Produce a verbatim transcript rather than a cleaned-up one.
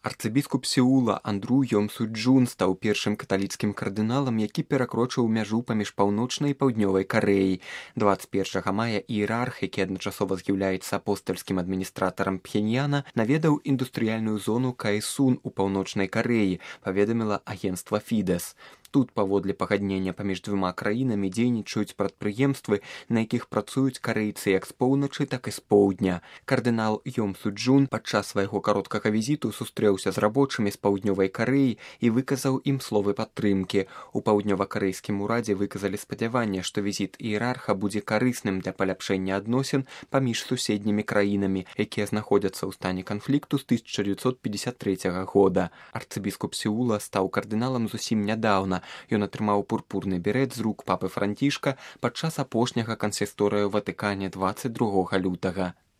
Арцыбіскуп Сеула Андру Йомсу-Джун стаў першым каталіцкім кардыналам, які перакрочыў мяжу паміж паўночнай і паўднёвай Карэяй. дваццаць першага мая іерарх, які адначасова з'яўляецца апостальскім адміністратарам Пхеньяна, наведаў індустрыяльную зону Каэсун у паўночнай Карэі, паведаміла агенцтва Фідэс. Тут, паводле пагаднення паміж двума краінамі, дзейнічаюць прадпрыемствы, на якіх працуюць карэйцы як з поўначы, так і з поўдня. Кардынал Йомсу-Джун падчас свайго кароткага візіту сустрэўся з рабочымі з паўднёвай Карэі і выказаў ім словы падтрымкі. У паўднёва-карэйскім урадзе выказалі спадзяванне, што візіт іерарха будзе карысным для паляпшэння адносін паміж суседнімі краінамі, якія знаходзяцца ў стане канфлікту з тысяча дзевяцьсот пятьдесят третьего года. Арцыбіскуп Сеула стаў кардыналам зусім нядаўна. Ён атрымаў пурпурны берэт з рук папы Францішка падчас апошняга кансісторыю ў Ватыкане дваццаць другога лютага.